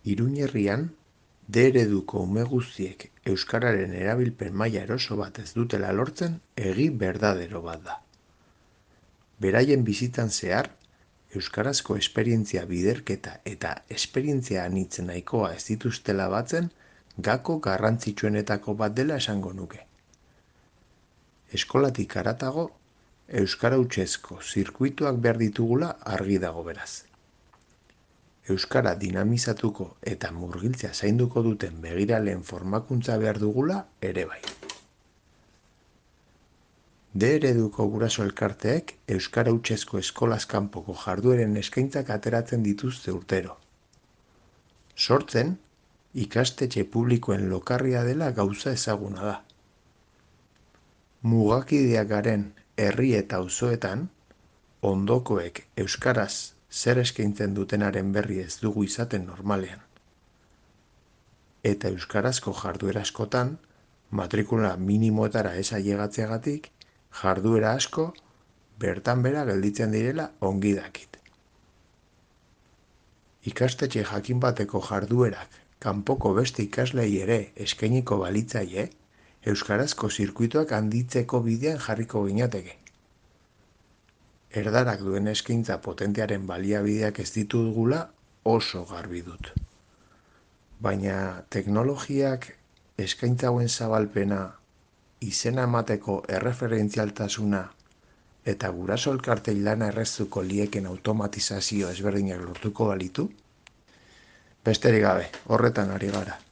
Iruñerrian, D ereduko ume guztiek euskararen erabilpen maila eroso bat ez dutela lortzen egi berdadero bat da. Beraien bizitzan zehar, euskarazko esperientzia biderketa eta esperientzia anitz nahikoa ez dituztela batzen gako garrantzitsuenetako bat dela esango nuke. Eskolatik haratago, euskara hutsezko zirkuituak behar ditugula argi dago beraz. Euskara dinamizatuko eta murgiltzea zainduko duten begiraleen formakuntza behar dugula ere bai. D ereduko guraso elkarteek euskara hutsezko eskolaz kanpoko jardueren eskaintzak ateratzen dituzte urtero. Sortzen, ikastetxe publikoen lokarria dela gauza ezaguna da. Mugakideak garen herri eta auzoetan, ondokoek euskaraz zer eskaintzen dutenaren berri ez dugu izaten normalean. Eta euskarazko jarduera askotan, matrikula minimoetara ez ailegatzeagatik, jarduera asko bertan bera gelditzen direla ongi dakit. Ikastetxe jakin bateko jarduerak kanpoko beste ikaslei ere eskainiko balitzaie, euskarazko zirkuituak handitzeko bidean jarriko ginateke. Erdarak duen eskaintza potentearen baliabideak ez ditugula oso garbi dut. Baina teknologiak eskaintza hauen zabalpena, izena emateko erreferentzialtasuna eta guraso elkartei lana erreztuko lieken automatizazio ezberdinak lortuko balitu? Besterik gabe, horretan ari gara.